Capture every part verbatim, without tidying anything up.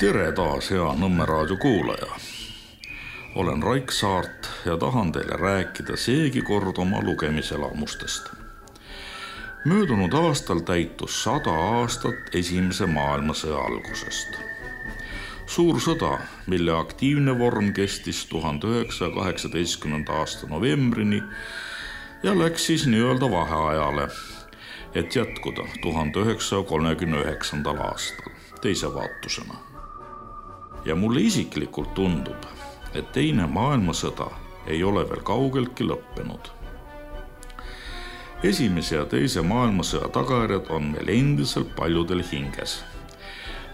Tere taas, hea Nõmme raadio kuulaja. Olen Raik Saart ja tahan teile rääkida seegi kord oma lugemiselamustest. Möödunud aastal täitus sada aastat esimese maailmasõja algusest. Suur sõda, mille aktiivne vorm kestis tuhande üheksasaja kaheksateistkümnenda aasta novembrini ja läks siis nii-öelda vaheajale, et jätkuda tuhande üheksasaja kolmekümne üheksandal aastal teise vaatusena. Ja mulle isiklikult tundub, et teine maailmasõda ei ole veel kaugeltki lõppenud. Esimese ja teise maailmasõja tagajärjed on meil endiselt paljudel hinges.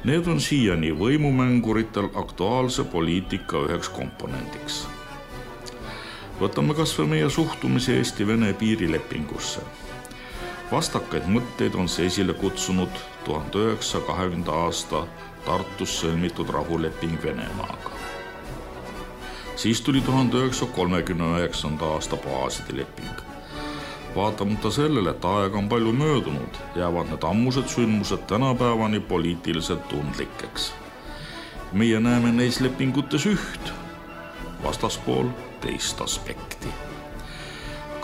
Need on siiani võimumänguritel aktuaalse poliitika üheks komponendiks. Võtame kas või meie suhtumise Eesti-Vene piirilepingusse. Vastakaid mõtteid on see esile kutsunud tuhande üheksasaja kahekümnenda aasta Tartus sõlmitud rahuleping Venemaaga. Siis tuli tuhande üheksasaja kolmekümne üheksanda aasta baaside leping. Vaatamata sellele, et aega on palju möödunud, jäävad need ammused sündmused tänapäevani poliitiliselt tundlikeks. Meie näeme neis lepingutes üht, vastaspool teist aspekti.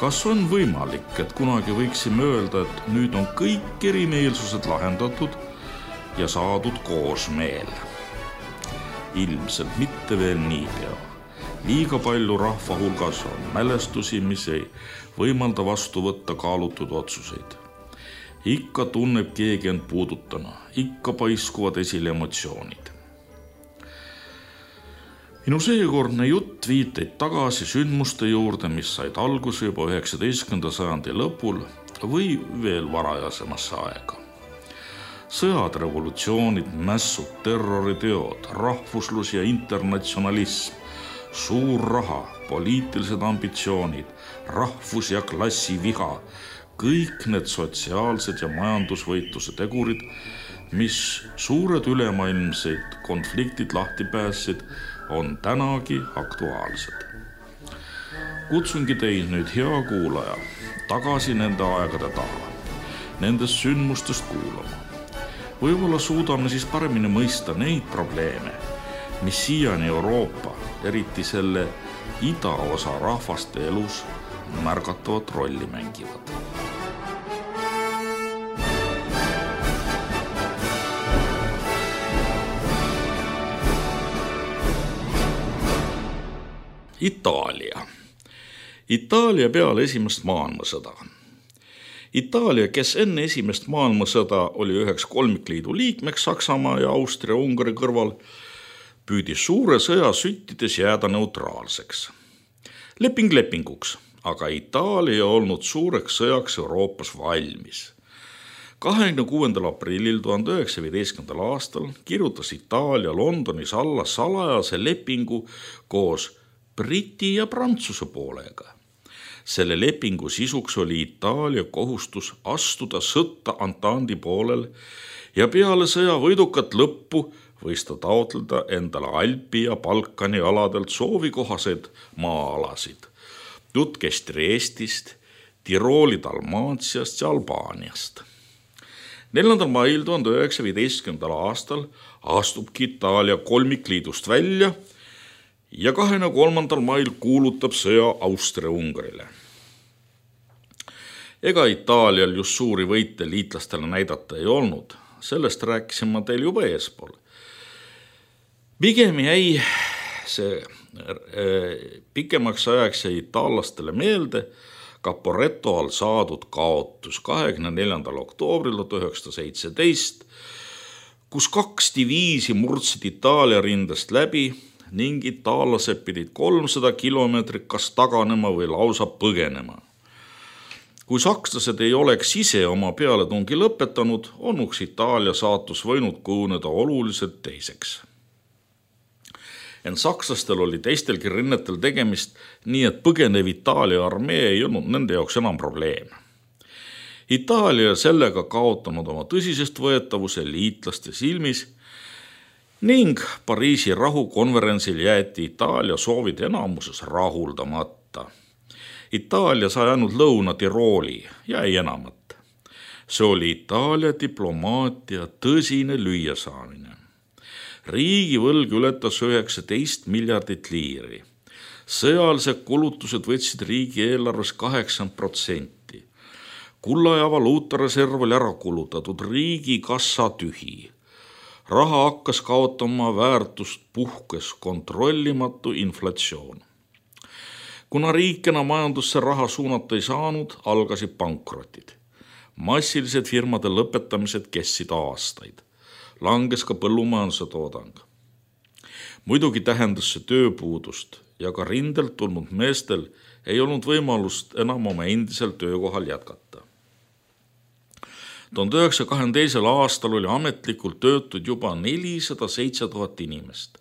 Kas on võimalik, et kunagi võiksime öelda, et nüüd on kõik erimeelsused lahendatud ja saadud koosmeel? Ilmselt mitte veel niipea. Liiga palju rahva hulgas on mälestusi, mis ei võimalda vastu võtta kaalutud otsuseid. Ikka tunneb keegi end puudutana, ikka paiskuvad esile emotsioonid. Minu seekordne jutt viiteid tagasi sündmuste juurde, mis said alguse juba üheksateistkümnenda sajandi lõpul või veel varajasemasse aega. Sõjad, revolutsioonid, mässud, terroriteod, rahvuslus ja internatsionalism, suur raha, poliitilised ambitsioonid, rahvus- ja klassiviha, kõik need sotsiaalsed ja majandusvõitluse tegurid, mis suured ülemaailmseid konfliktid lahti päässid, on tänagi aktuaalsed. Kutsungi teid nüüd, hea kuulaja, tagasi nende aegade taha, nendest sündmustest kuulama. Võib-olla suudame siis paremini mõista neid probleeme, mis siiani Euroopa, eriti selle idaosa rahvaste elus märgatavat rolli mängivad. Itaalia. Itaalia peale esimest maailmasõda. Itaalia, kes enne esimest maailmasõda oli üheks kolmikliidu liikmeks Saksamaa ja Austria-Ungari kõrval, püüdis suure sõja süttides jääda neutraalseks. Leping lepinguks, aga Itaalia ei olnud suureks sõjaks Euroopas valmis. kahekümne kuuendal aprillil tuhande üheksasaja viieteistkümnendal aastal kirjutas Itaalia Londonis alla salajase lepingu koos Briti ja Prantsuse poolega. Selle lepingu sisuks oli Itaalia kohustus astuda sõtta Antandi poolel ja peale sõja võidukat lõppu võis ta taotleda endale Alpi ja Balkani aladelt soovikohaseid maa-alasid. Jutt käis Triestist, Tirooli Dalmaatiast ja Albaaniast. neljandal mail tuhande üheksasaja viieteistkümnendal aastal astubki Itaalia kolmikliidust välja ja kahekümne kolmandal mail kuulutab sõja Austria-Ungarile. Ega Itaalial just suuri võite liitlastele näidata ei olnud, sellest rääkisin ma teil juba eespool. Pigem jäi see pikemaks ajaks jäi itaallastele meelde Caporetto all saadud kaotus kahekümne neljandal oktoobril tuhat üheksasada seitseteist, kus kaks diviisi murdsid Itaalia rindest läbi ning itaallased pidid kolmsada kilomeetrit kas taganema või lausa põgenema. Kui sakslased ei oleks ise oma pealetungi lõpetanud, onuks Itaalia saatus võinud kujuneda oluliselt teiseks. Ent sakslastel oli teistelgi rinnetel tegemist, nii et põgenev Itaalia armee ei olnud nende jaoks enam probleem. Itaalia sellega kaotanud oma tõsisest võetavuse liitlaste silmis ning Pariisi rahukonverentsil jäeti Itaalia soovid enamuses rahuldamata. Itaalia sai ainult Lõuna-Tirooli ja ei enamat. See oli Itaalia diplomaatia tõsine lüüasaamine. Riigivõlg ületas üheksateist miljardit liiri. Sõjalised kulutused võtsid riigieelarves kaheksakümmend protsenti. Kulla ja valuutareserv oli ära kulutatud, riigi kassa tühi. Raha hakkas kaotama väärtust, puhkes kontrollimatu inflatsioon. Kuna riik enam majandusse raha suunata ei saanud, algasid pankrotid. Massilised firmade lõpetamised kestsid aastaid. Langes ka põllumajanduse toodang. Muidugi tähendas see tööpuudust ja ka rindelt tulnud meestel ei olnud võimalust enam oma endisel töökohal jätkata. tuhande üheksasaja kahekümne teisel aastal oli ametlikult töötud juba nelisada seitse tuhat inimest.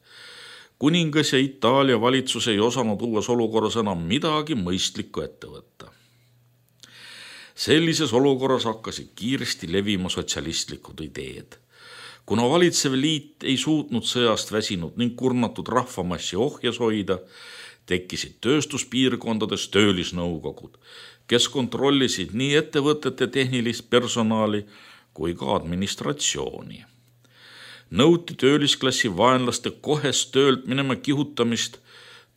Kuningas ja Itaalia valitsus ei osanud uues olukorras enam midagi mõistlikku ette võtta. Sellises olukorras hakkasid kiiresti levima sotsialistlikud ideed. Kuna valitsev liit ei suutnud sõjast väsinud ning kurnatud rahvamassi ohjes hoida, tekkisid tööstuspiirkondades töölisnõukogud, kes kontrollisid nii ettevõtete tehnilist personali kui ka administratsiooni. Nõuti töölisklassi vaenlaste kohest töölt minema kihutamist,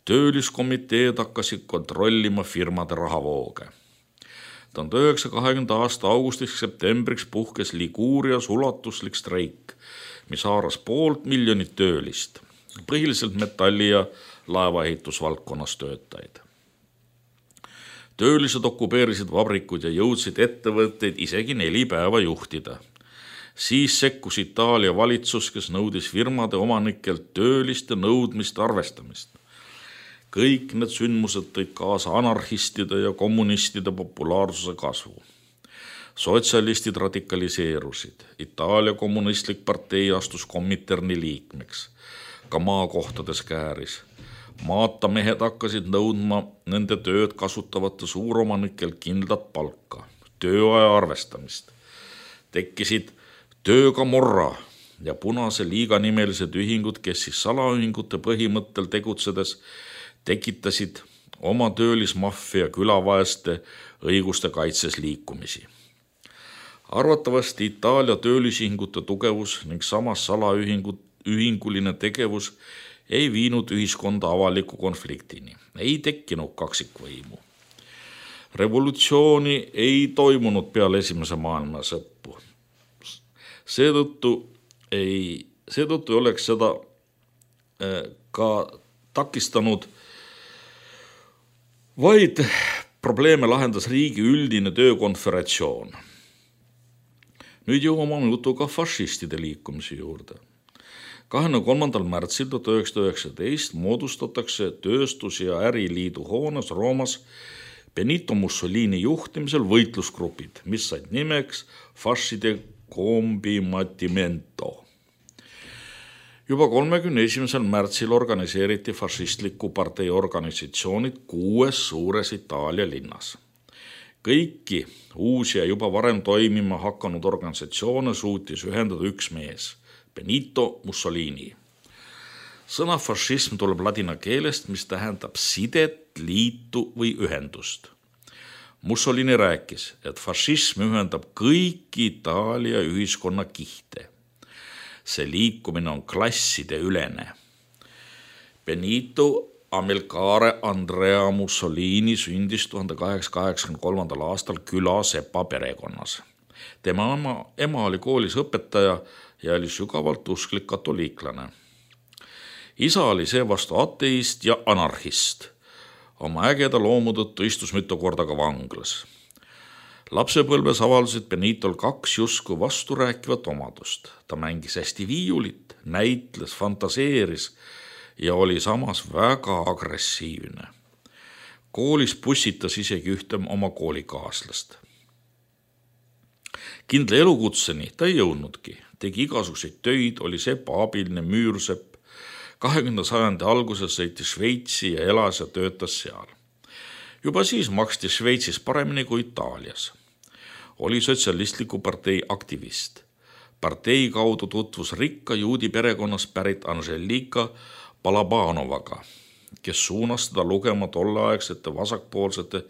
tööliskomiteed hakkasid kontrollima firmade rahavooge. tuhande üheksasaja kahekümnenda aasta augustiks septembriks puhkes Liguurias ulatuslik streik, mis haaras poolt miljonit töölist, põhiliselt metalli- ja laevaehitusvaldkonnas töötajaid. Töölised okupeerisid vabrikud ja jõudsid ettevõtteid isegi neli päeva juhtida. Siis sekkus Itaalia valitsus, kes nõudis firmade omanikelt tööliste nõudmist arvestamist. Kõik need sündmused tõid kaasa anarhistide ja kommunistide populaarsuse kasvu. Sotsialistid radikaliseerusid. Itaalia kommunistlik partei astus Kominterni liikmeks. Ka maakohtades kääris. Maatamehed hakkasid nõudma nende tööd kasutavate suuromanikelt kindlat palka, tööaja arvestamist. Tekkisid töökamorra ja Punase liiga nimelised ühingud, kes siis salaühingute põhimõttel tegutsedes tekitasid oma töölismaffia külavaeste õiguste kaitses liikumisi. Arvatavasti Itaalia töölisühingute tugevus ning samas salaühinguline tegevus ei viinud ühiskonda avaliku konfliktini, ei tekkinud kaksikvõimu. Revolutsiooni ei toimunud peale esimese maailmasõppu. Seetõttu ei, seetõttu ei oleks seda ka takistanud, vaid probleeme lahendas riigi üldine töökonföratsioon. Nüüd jõuame jutuga fašistide liikumise juurde. kahekümne kolmandal märtsil tuhat üheksasada üheksateist moodustatakse tööstus- ja äriliidu hoones Roomas Benito Mussolini juhtimisel võitlusgrupid, mis said nimeks Fascide Combattimento. Juba kolmekümne esimesel märtsil organiseeriti fašistliku partei organisatsioonid kuues suures Itaalia linnas. Kõiki uusi ja juba varem toimima hakanud organisatsioone suutis ühendada üks mees, Benito Mussolini. Sõna fašism tuleb ladina keelest, mis tähendab sidet, liitu või ühendust. Mussolini rääkis, et fašism ühendab kõiki Itaalia ühiskonna kihte. See liikumine on klasside ülene. Benito Amilcare Andrea Mussolini sündis tuhande kaheksasaja kaheksakümne kolmandal aastal küla sepa perekonnas. Tema ema, ema oli koolis õpetaja ja oli sügavalt usklik katoliiklane. Isa oli seevastu ateist ja anarhist. Oma ägeda loomu tõttu istus mitu korda ka vanglas. Lapsepõlves avaldasid Benitol kaks justkui vasturääkivat omadust. Ta mängis hästi viiulit, näitles, fantaseeris ja oli samas väga agressiivne. Koolis pussitas isegi ühte oma koolikaaslast. Kindla elukutseni ta ei jõudnudki. Tegi igasuguseid töid, oli sepa abiline müürsepp. kahekümnenda sajandi alguses sõitis Šveitsi ja elas ja töötas seal. Juba siis maksti Šveitsis paremini kui Itaalias. Oli sotsialistliku partei aktivist. Partei kaudu tutvus rikka juudi perekonnas pärit Angelika Balabanovaga, kes suunas teda lugema tolleaegsete vasakpoolsete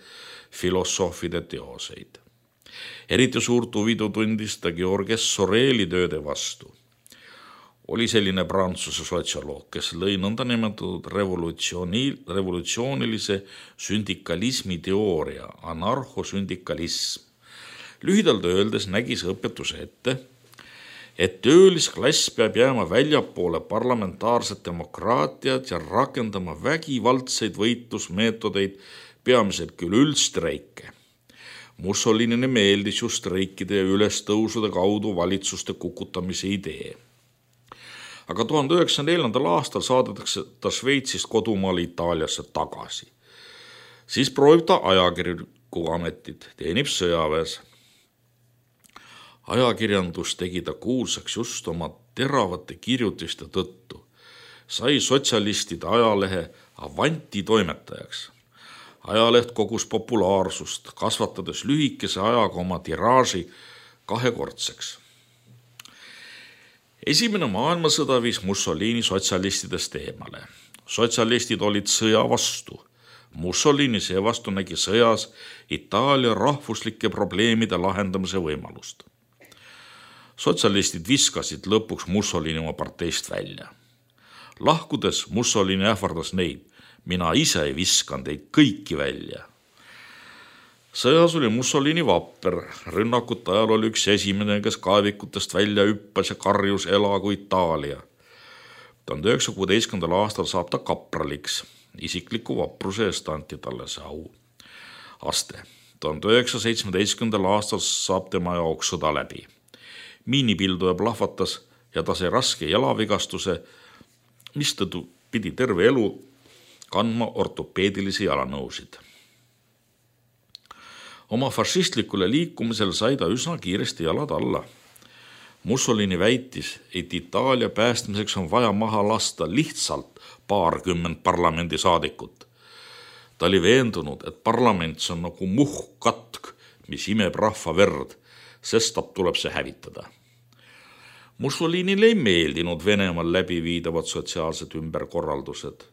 filosoofide teoseid. Eriti suurt huvidu tundis ta Georges Soreli tööde vastu. oli selline Prantsuse sotsioloog, kes lõi nõndanimetatud revolutsiooni, revolutsioonilise sündikalismi teooria, anarhosündikalism. Lühidalt öeldes nägi see õpetuse ette, et töölisklass peab jääma väljapoole parlamentaarset demokraatiat ja rakendama vägivaldseid võitlusmeetodeid, peamiselt küll üldstreike. Mussolinile meeldis ju streikide ja ülestõusude kaudu valitsuste kukutamise idee. Aga tuhande üheksasaja neljandal aastal saadetakse ta Šveitsist kodumaale Itaaliasse tagasi. Siis proovib ta ajakirjaniku ametit, teenib sõjaväes. Ajakirjandus tegi ta kuulsaks just oma teravate kirjutiste tõttu. Sai sotsialistide ajalehe Avanti toimetajaks. Ajaleht kogus populaarsust, kasvatades lühikese ajaga oma tiraaži kahekordseks. Esimene maailmasõda viis Mussolini sotsialistidest eemale. Sotsialistid olid sõja vastu. Mussolini seevastu nägi sõjas Itaalia rahvuslike probleemide lahendamise võimalust. Sotsialistid viskasid lõpuks Mussolini oma parteist välja. Lahkudes Mussolini ähvardas neid, mina ise ei viskan teid kõiki välja. Sõjas oli Mussolini vapper, rünnakute ajal oli üks esimene, kes kaevikutest välja hüppas ja karjus elagu Itaalia. tuhande üheksasaja kuueteistkümnendal aastal saab ta kapraliks, isikliku vapruse eest anti talle see au. Aste. tuhande üheksasaja seitsmeteistkümnendal aastal saab tema jaoks sõda läbi. Miinipilduja plahvatas ja ta sai raske jalavigastuse, mistõttu pidi terve elu kandma ortopeedilisi jalanõusid. Oma fašistlikule liikumisel sai ta üsna kiiresti jalad alla. Mussolini väitis, et Itaalia päästmiseks on vaja maha lasta lihtsalt paarkümmend parlamendisaadikut. Ta oli veendunud, et parlament on nagu muhkkatk, mis imeb rahva verd, sest tuleb see hävitada. Mussolinile ei meeldinud Venemaal läbiviidavad sotsiaalsed ümberkorraldused.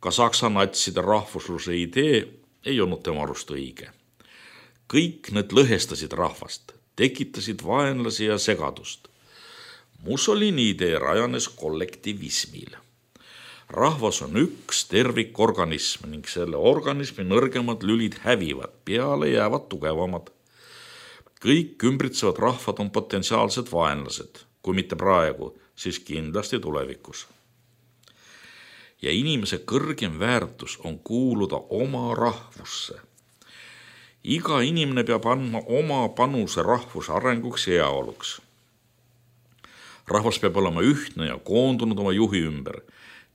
Ka Saksa natside rahvusluse idee ei olnud tema arust õige. Kõik need lõhestasid rahvast, tekitasid vaenlasi ja segadust. Mussolini idee rajanes kollektivismil. Rahvas on üks tervikorganism ning selle organismi nõrgemad lülid hävivad, peale jäävad tugevamad. Kõik ümbritsevad rahvad on potentsiaalsed vaenlased, kui mitte praegu, siis kindlasti tulevikus. Ja inimese kõrgem väärtus on kuuluda oma rahvusse. Iga inimene peab andma oma panuse rahvuse arenguks ja heaoluks. Rahvas peab olema ühtne ja koondunud oma juhi ümber,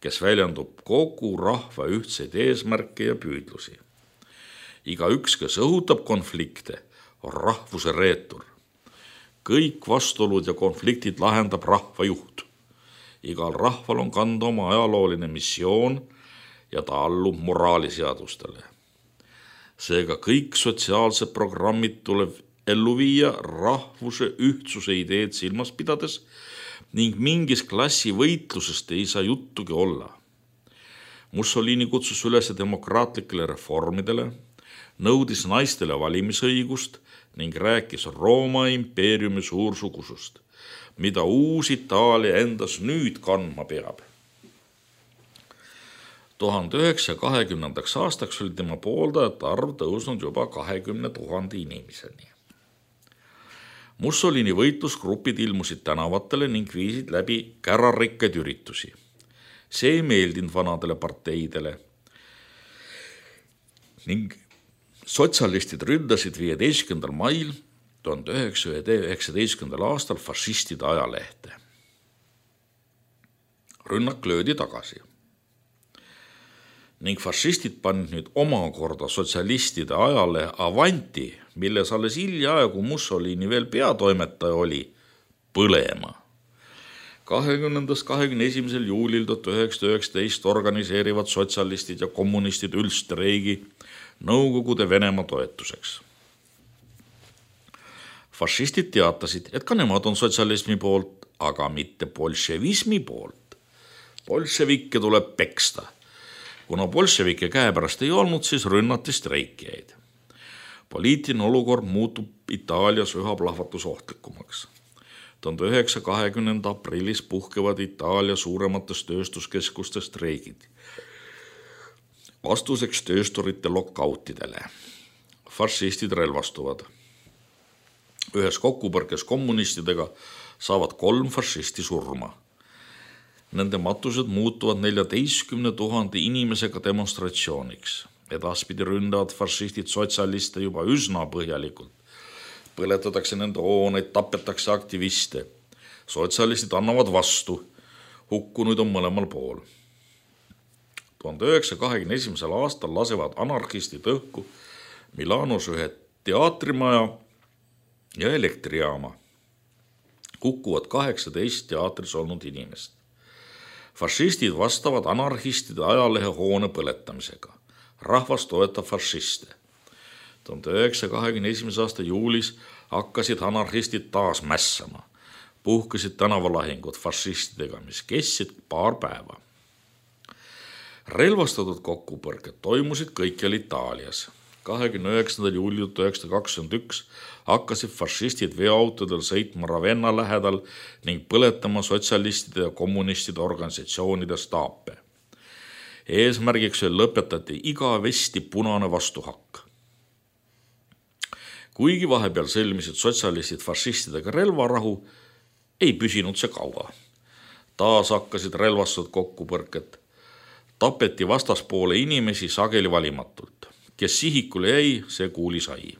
kes väljendub kogu rahva ühtseid eesmärke ja püüdlusi. Iga üks, kes õhutab konflikte, on rahvuse reetur. Kõik vastuolud ja konfliktid lahendab rahva juht. Igal rahval on kanda oma ajalooline missioon ja ta allub moraaliseadustele. Seega kõik sotsiaalsed programmid tuleb ellu viia rahvuse ühtsuse ideed silmas pidades ning mingis klassi võitlusest ei saa juttugi olla. Mussolini kutsus üles demokraatlikele reformidele, nõudis naistele valimisõigust ning rääkis Rooma impeeriumi suursugusust, mida uus Itaalia endas nüüd kandma peab. tuhande üheksasaja kahekümnendaks aastaks oli tema pooldajate arv tõusnud juba kahekümne tuhande inimeseni. Mussolini võitlusgrupid ilmusid tänavatele ning viisid läbi kärarikkaid üritusi. See ei meeldinud vanadele parteidele ning sotsialistid ründasid viieteistkümnendal mail tuhande üheksasaja üheksateistkümnendal aastal fašistide ajalehte. Rünnak löödi tagasi. Ning fašistid panid nüüd omakorda sotsialistide ajalehe Avanti, milles alles hiljaaegu Mussolini veel peatoimetaja oli, põlema. kahekümnendast kahekümne esimesel juulil tuhat üheksasada üheksateist organiseerivad sotsialistid ja kommunistid üldstreigi Nõukogude Venemaa toetuseks. Fašistid teatasid, et ka nemad on sotsialismi poolt, aga mitte bolševismi poolt. Bolševikke tuleb peksta. Kuna bolševike käepärast ei olnud, siis rünnati streikijaid. Poliitiline olukord muutub Itaalias üha plahvatusohtlikumaks. tuhande üheksasaja kahekümnenda aprillis puhkevad Itaalia suuremates tööstuskeskustes streigid. Vastuseks töösturite lokautidele. Fašistid relvastuvad. Ühes kokkupõrkes kommunistidega saavad kolm fašisti surma. Nende matused muutuvad neljateistkümne tuhande inimesega demonstratsiooniks. Edaspidi ründavad fašistid sotsialiste juba üsna põhjalikult. Põletatakse nende hooneid, tapetakse aktiviste. Sotsialistid annavad vastu. Hukkunuid on mõlemal pool. tuhande üheksasaja kahekümne esimesel aastal lasevad anarhistid õhku Milanos ühe teatrimaja ja elektrijaama. Hukkuvad kaheksateist teatris olnud inimest. Fašistid vastavad anarhistide ajalehe hoone põletamisega. Rahvas toetab fašiste. tuhande üheksasaja kahekümne esimese aasta juulis hakkasid anarhistid taas mässama. Puhkesid tänavalahingud fašistidega, mis kestsid paar päeva. Relvastatud kokkupõrked toimusid kõikjal Itaalias. kahekümne üheksandal juulil tuhat üheksasada kakskümmend üks hakkasid fašistid veoautodel sõitma Ravenna lähedal ning põletama sotsialistide ja kommunistide organisatsioonide staape. Eesmärgiks lõpetati igavesti punane vastuhakk. Kuigi vahepeal sõlmisid sotsialistid fašistidega relvarahu, ei püsinud see kaua. Taas hakkasid relvastatud kokkupõrked. Tapeti vastaspoole inimesi sageli valimatult. Kes sihikule jäi, see kuuli sai.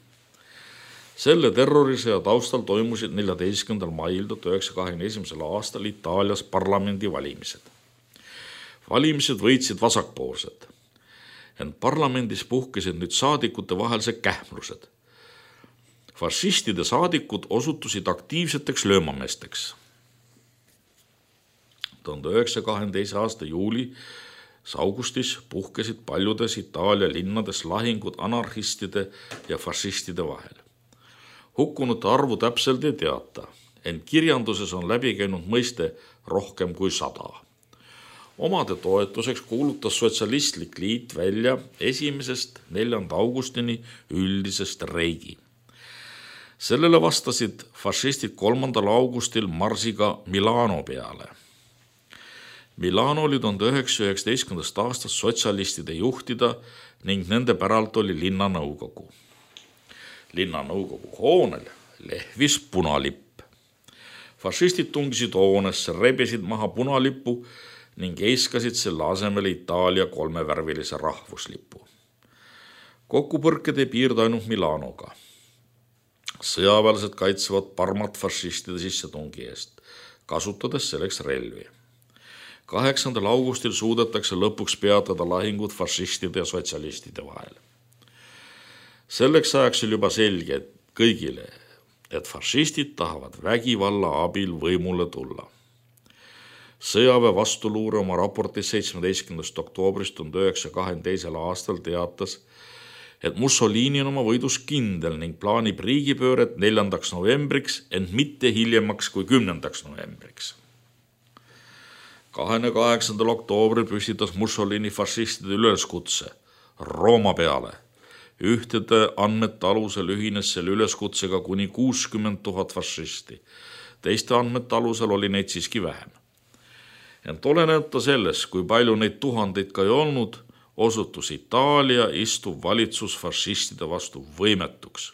Selle terrorisõja taustal toimusid neljateistkümnendal mail tuhat üheksasaja kahekümne esimesel aastal Itaalias parlamendi valimised. Valimised võitsid vasakpoolsed. Ent parlamendis puhkesid nüüd saadikute vahelised kähmlused. Fašistide saadikud osutusid aktiivseteks löömameesteks. tuhande üheksasaja kahekümne teise aasta juuli augustis puhkesid paljudes Itaalia linnades lahingud anarhistide ja fašistide vahel. Hukkunute arvu täpselt ei teata, ent kirjanduses on läbi käinud mõiste rohkem kui sada. Omade toetuseks kuulutas Sotsialistlik Liit välja esimesest neljanda augustini üldise streigi. Sellele vastasid fašistid kolmandal augustil marsiga Milano peale. Milano oli tuhande üheksasaja üheksateistkümnendast aastast sotsialistide juhtida ning nende päralt oli linnanõukogu. Linnanõukogu hoonel lehvis punalipp. Fašistid tungisid hoonesse, rebisid maha punalippu ning eiskasid selle asemele Itaalia kolmevärvilise rahvuslipu. Kokkupõrked ei piirdu ainult Milanoga. Sõjaväelased kaitsevad Parmat fašistide sissetungi eest, kasutades selleks relvi. kaheksandal augustil suudetakse lõpuks peatada lahingud fašistide ja sotsialistide vahel. Selleks ajaks oli juba selge kõigile, et fašistid tahavad vägivalla abil võimule tulla. Sõjaväe vastuluure oma raportis seitsmeteistkümnendast oktoobrist tuhande üheksasaja kahekümne teisel aastal teatas, et Mussolini on oma võidus kindel ning plaanib riigipööret neljandaks novembriks, ent mitte hiljemaks kui kümnendaks novembriks. kahekümne kaheksandal oktoobril püstitas Mussolini fašistide üleskutse Rooma peale. Ühtede andmete alusel ühines selle üleskutsega kuni kuuskümmend tuhat fašisti. Teiste andmete alusel oli neid siiski vähem. Ent olenemata sellest, kui palju neid tuhandeid ka ei olnud, osutus Itaalia istuv valitsus fašistide vastu võimetuks.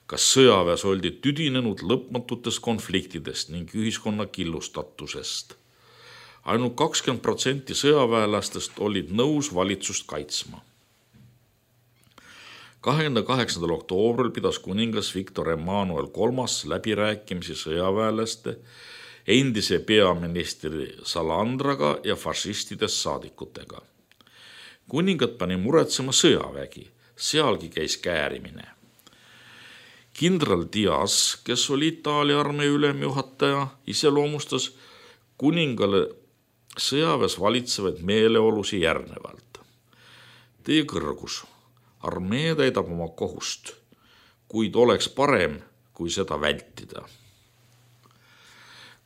Kas sõjaväes oldi tüdinenud lõpmatutest konfliktidest ning ühiskonna killustatusest? Ainult kakskümmend protsenti sõjaväelastest olid nõus valitsust kaitsma. kahekümne kaheksandal oktoobril pidas kuningas Victor Emmanuel kolmas läbirääkimisi sõjaväelaste, endise peaministri Salandraga ja fašistidest saadikutega. Kuningat pani muretsema sõjavägi, sealgi käis käärimine. Kindral Diaz, kes oli Itaalia armee ülemjuhataja, iseloomustas kuningale sõjaväes valitsevaid meeleolusi järgnevalt. Teie kõrgus, armee täidab oma kohust, kuid oleks parem, kui seda vältida.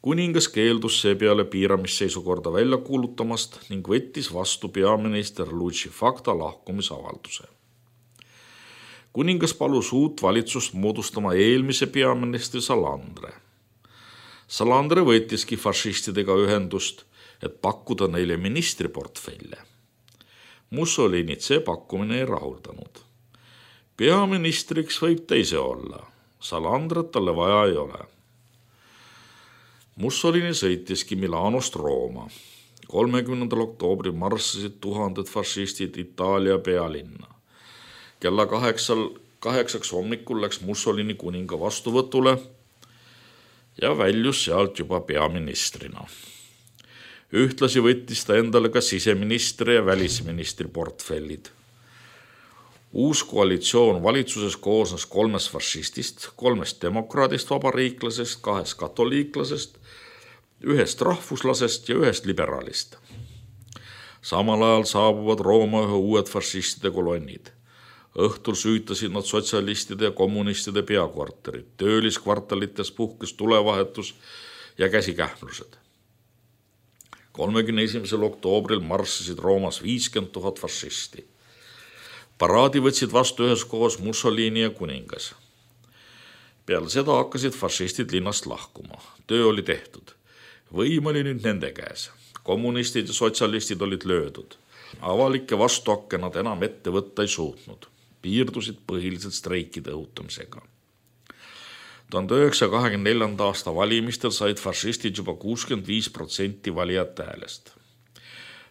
Kuningas keeldus seepeale piiramisseisukorda välja kuulutamast ning võttis vastu peaminister Luigi Facta lahkumisavalduse. Kuningas palus uut valitsust moodustama eelmise peaministri Salandre. Salandre võttiski fašistidega ühendust, et pakkuda neile ministriportfelle. Mussolinit see pakkumine ei rahuldanud. Peaministriks võib teise olla, Salandrat talle vaja ei ole. Mussolini sõitiski Milanost Rooma. kolmekümnendal oktoobril marssisid tuhanded fašistid Itaalia pealinna. Kella kaheksal, kaheksaks hommikul läks Mussolini kuninga vastuvõtule ja väljus sealt juba peaministrina. Ühtlasi võttis ta endale ka siseministri ja välisministri portfellid. Uus koalitsioon valitsuses koosnes kolmest fašistist, kolmest demokraadist vabariiklasest, kahest katoliiklasest, ühest rahvuslasest ja ühest liberaalist. Samal ajal saabuvad Rooma ühe uued fašistide kolonnid. Õhtul süütasid nad sotsialistide ja kommunistide peakorterid, tööliskvartalites puhkes tulevahetus ja käsikähmlused. kolmekümne esimesel oktoobril marssisid Roomas viiskümmend tuhat fašisti. Paraadi võtsid vastu üheskoos Mussolini ja kuningas. Peale seda hakkasid fašistid linnast lahkuma. Töö oli tehtud. Võim oli nüüd nende käes. Kommunistid ja sotsialistid olid löödud. Avalikke vastuhakke nad enam ette võtta ei suutnud. Piirdusid põhiliselt streikide õhutamisega. tuhande üheksasaja kahekümne neljanda aasta valimistel said fašistid juba kuuskümmend viis protsenti valijate häälest.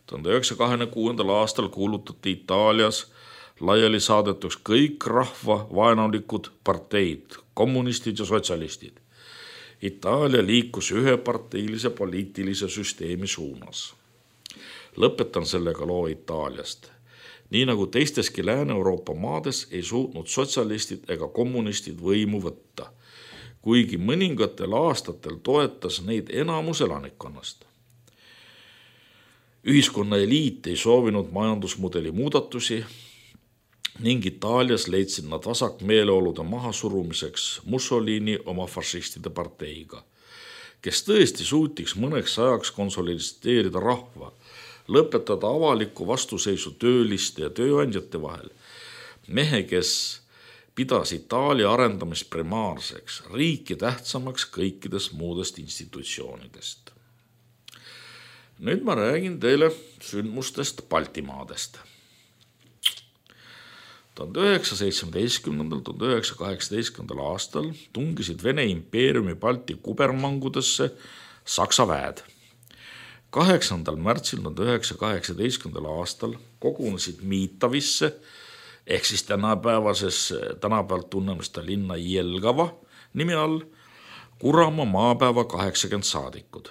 tuhande üheksasaja kahekümne kuuendal aastal kuulutati Itaalias laiali saadetuks kõik rahva vaenulikud parteid, kommunistid ja sotsialistid. Itaalia liikus üheparteilise poliitilise süsteemi suunas. Lõpetan sellega loo Itaaliast. Nii nagu teisteski Lääne-Euroopa maades ei suutnud sotsialistid ega kommunistid võimu võtta, kuigi mõningatel aastatel toetas neid enamus elanikkonnast. Ühiskonna eliit ei soovinud majandusmudeli muudatusi ning Itaalias leidsid nad vasakmeeleolude mahasurumiseks Mussolini oma fašistide parteiga, kes tõesti suutiks mõneks ajaks konsolideerida rahva, lõpetada avaliku vastuseisu tööliste ja tööandjate vahel. Mehe, kes pidas Itaalia arendamist primaarseks, riiki tähtsamaks kõikidest muudest institutsioonidest. Nüüd ma räägin teile sündmustest Baltimaadest. tuhande üheksasaja seitsmeteistkümnendal, tuhande üheksasaja kaheksateistkümnendal aastal tungisid Vene impeeriumi Balti kubermangudesse Saksa väed. kaheksandal märtsil tuhande üheksasaja kaheksateistkümnendal aastal kogunesid Miitavisse ehk siis tänapäevases, tänapäevalt tunnemista linna Jelgava nimi all Kuramaa maapäeva kaheksakümmend saadikud.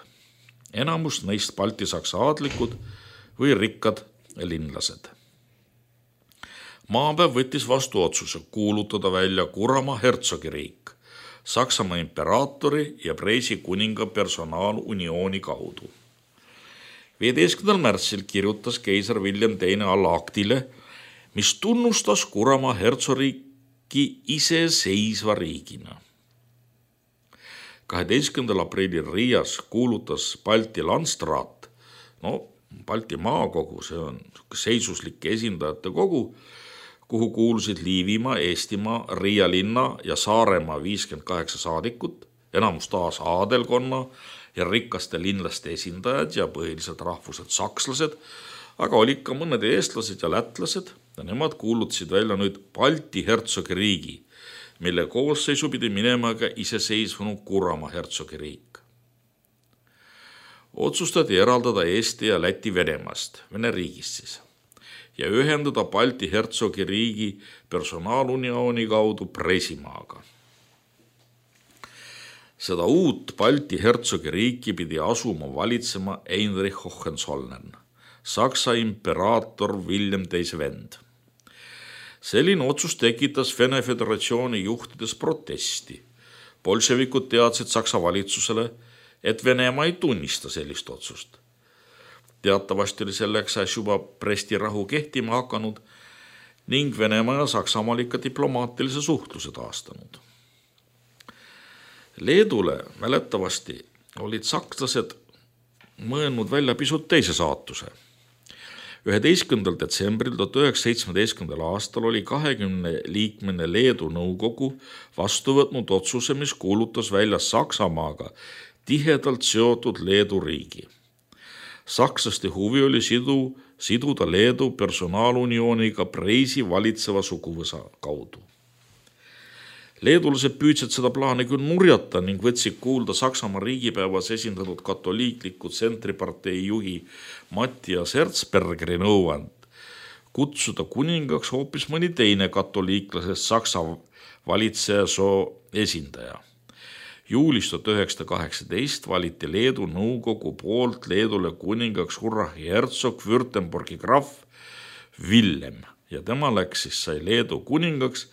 Enamus neist balti-saksa aadlikud või rikkad linlased. Maapäev võttis vastu otsuse kuulutada välja Kuramaa hertsogiriik Saksamaa imperaatori ja Preisi kuninga personaaluniooni kaudu. viieteistkümnendal märtsil kirjutas keiser William teine alla aktile, mis tunnustas Kuramaa hertsogiriiki iseseisva riigina. kaheteistkümnendal aprillil Riias kuulutas Balti Landstraat, no Balti maakogu, see on seisuslike esindajate kogu, kuhu kuulusid Liivimaa, Eestimaa, Riia linna ja Saaremaa viiskümmend kaheksa saadikut, enamus taas aadelkonna ja rikaste linlaste esindajad ja põhiliselt rahvuselt sakslased, aga olid ka mõned eestlased ja lätlased ja nemad kuulutasid välja nüüd Balti hertsogiriigi, mille koosseisu pidi minema ka iseseisvunud Kuramaa hertsogiriik. Otsustati eraldada Eesti ja Läti Venemaast, Vene riigist siis, ja ühendada Balti hertsogiriigi personaaluniooni kaudu Presimaaga. Seda uut Balti hertsogiriiki pidi asuma valitsema Heinrich Hohenzollern, Saksa imperaator William teise vend. Selline otsus tekitas Vene Föderatsiooni juhtides protesti. Bolševikud teadsid Saksa valitsusele, et Venemaa ei tunnista sellist otsust. Teatavasti oli selleks äs juba Bresti rahu kehtima hakanud ning Venemaa ja Saksamaal ikka diplomaatilise suhtluse taastanud. Leedule mäletavasti olid sakslased mõelnud välja pisut teise saatuse. üheteistkümnendal detsembril tuhat üheksasada seitsmeteistkümnendal aastal oli kahekümne liikmene Leedu nõukogu vastu võtnud otsuse, mis kuulutas välja Saksamaaga tihedalt seotud Leedu riigi. Sakslaste huvi oli sidu, siduda Leedu personaaluniooniga Preisi valitseva suguvõsa kaudu. Leedulased püüdsid seda plaani küll nurjata ning võtsid kuulda Saksamaa riigipäevas esindatud katoliikliku tsentripartei juhi Matthias Erzbergeri nõuand kutsuda kuningaks hoopis mõni teine katoliiklasest Saksa valitseja soo esindaja. Juulis tuhat üheksasada kaheksateist valiti Leedu nõukogu poolt Leedule kuningaks Urrahi hertsog Württembergi graf Villem ja tema läks siis sai Leedu kuningaks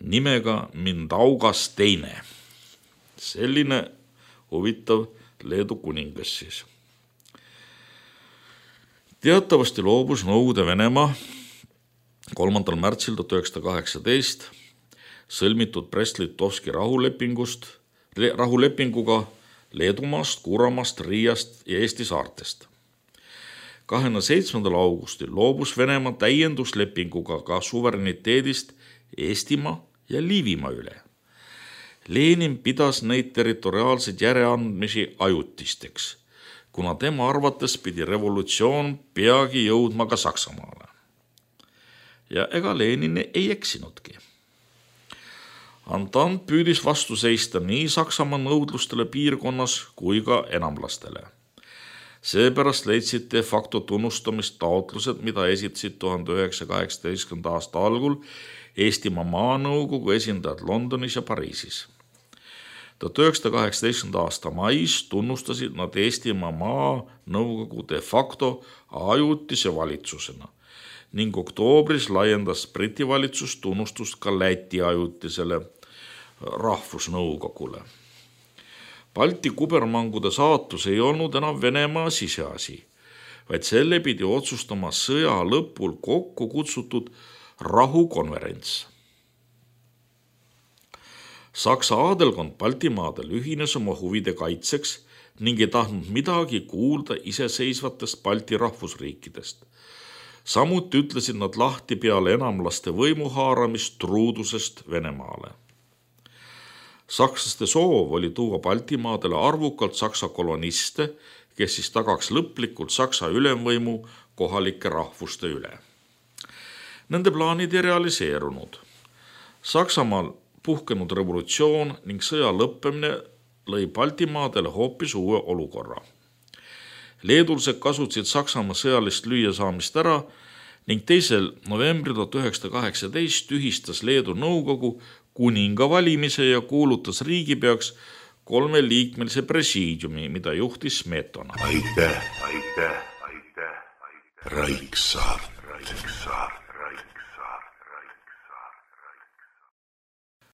nimega Mindaugas teine. Selline huvitav Leedu kuningas siis. Teatavasti loobus Nõukogude Venemaa kolmandal märtsil tuhat üheksasada kaheksateist sõlmitud Brest-Litovski rahulepingust, rahulepinguga Leedumaast, Kuramaast, Riiast ja Eesti saartest. kahekümne seitsmendal augustil loobus Venemaa täienduslepinguga ka suvereniteedist Eestimaa ja Liivimaa üle. Lenin pidas neid territoriaalseid järeleandmisi ajutisteks, kuna tema arvates pidi revolutsioon peagi jõudma ka Saksamaale. Ja ega Lenin ei eksinudki. Antant püüdis vastu seista nii Saksamaa nõudlustele piirkonnas kui ka enamlastele. Seepärast leidsid de facto tunnustamist taotlused, mida esitasid tuhande üheksasaja kaheksateistkümnenda aasta algul Eestimaa maanõukogu esindajad Londonis ja Pariisis. tuhat üheksasada kaheksateistkümnenda aasta mais tunnustasid nad Eestimaa maanõukogu de facto ajutise valitsusena ning oktoobris laiendas Briti valitsus tunnustust ka Läti ajutisele rahvusnõukogule. Balti kubermangude saatus ei olnud enam Venemaa siseasi, vaid selle pidi otsustama sõja lõpul kokku kutsutud rahukonverents. Saksa aadelkond Baltimaadel ühines oma huvide kaitseks ning ei tahtnud midagi kuulda iseseisvatest Balti rahvusriikidest. Samuti ütlesid nad lahti peale enamlaste võimuhaaramist truudusest Venemaale. Sakslaste soov oli tuua Baltimaadele arvukalt Saksa koloniste, kes siis tagaks lõplikult Saksa ülemvõimu kohalike rahvuste üle. Nende plaanid ei realiseerunud. Saksamaal puhkenud revolutsioon ning sõja lõppemine lõi Baltimaadele hoopis uue olukorra. Leedulased kasutasid Saksamaa sõjalist lüüasaamist ära ning teisel novembril tuhat üheksasada kaheksateist tühistas Leedu nõukogu kuninga valimise ja kuulutas riigipeaks kolmeliikmelise presiidiumi, mida juhtis Smetona. Aitäh, aitäh, aitäh, aitäh. Raiksaart.